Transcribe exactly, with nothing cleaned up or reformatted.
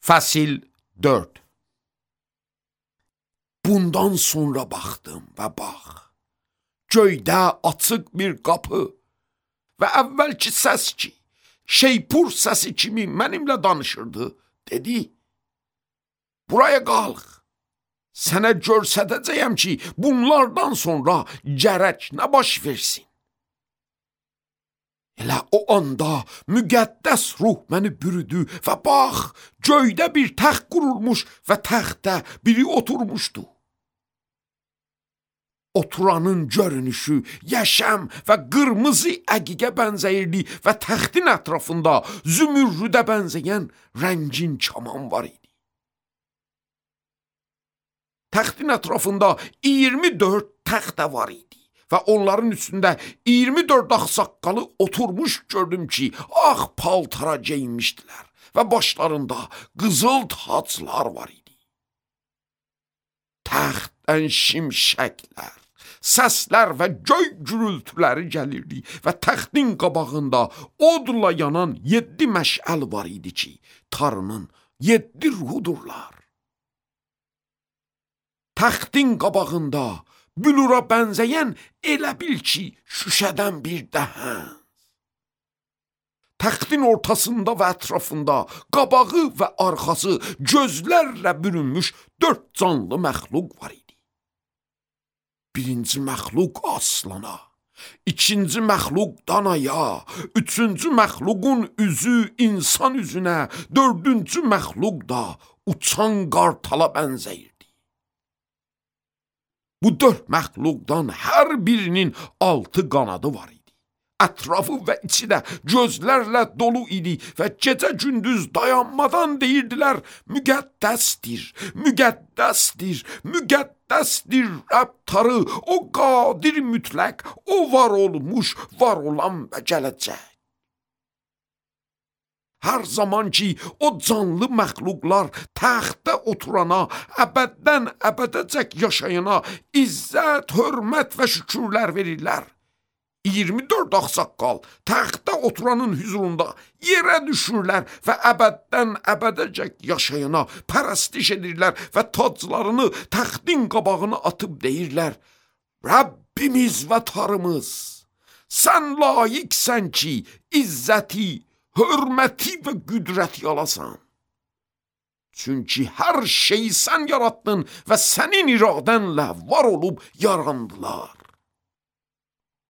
Fəsil dörd. Bundan sonra baxdım və bax, göydə açıq bir qapı və əvvəlki səs ki, şeypur səsi kimi mənimlə danışırdı, dedi, buraya qalx, sənə görsədəcəyəm ki, bunlardan sonra gərək nə baş versin. Elə o anda müqəddəs ruh məni bürüdü və bax, göydə bir təxt qurulmuş və təxtdə biri oturmuşdu. Oturanın görünüşü yaşam və qırmızı əqiqə bənzəyirdi və təxtin ətrafında zümürrüdə bənzəyən rəngin kaman var idi. Təxtin ətrafında iyirmi dörd təxtə var idi. Və onların üstündə iyirmi dörd ağsaqqalı oturmuş gördüm ki, ağ paltara geyinmişdilər və başlarında qızıl taclar var idi. Təxtdən şimşəklər, səslər və göy gürültüləri gəlirdi və təxtin qabağında odla yanan yeddi məşəl var idi ki, Tanrının yeddi ruhudurlar. Təxtin qabağında bülura bənzəyən elə bil ki, şüşədən bir dəhəz. Təxtin ortasında və ətrafında qabağı və arxası gözlərlə bürünmüş dörd canlı məxluq var idi. Birinci məxluq aslana, ikinci məxluq danaya, üçüncü məxluqun üzü insan üzünə, dördüncü məxluq da uçan qartala bənzəyirdi. Bu dörd məxluqdan hər birinin altı qanadı var idi. Ətrafı və içi də gözlərlə dolu idi və gecə-gündüz dayanmadan deyirdilər, müqəddəsdir, müqəddəsdir, müqəddəsdir Rəbb Tanrı, o qadir mütləq, o var olmuş, var olan və gələcək. Hər zaman ki, o canlı məxluqlar təxtdə oturana, əbəddən əbədəcək yaşayana izzət, hörmət və şükürlər verirlər. iyirmi dörd ağsaqqal təxtdə oturanın hüzurunda yerə düşürlər və əbəddən əbədəcək yaşayana pərəstiş edirlər və taclarını təxtin qabağına atıb deyirlər, Rəbbimiz və Tanrımız, sən layiqsən ki, izzəti, hörməti və qüdrəti alasan. Çünki hər şeyi sən yaratdın və sənin iradənlə var olub yarandılar.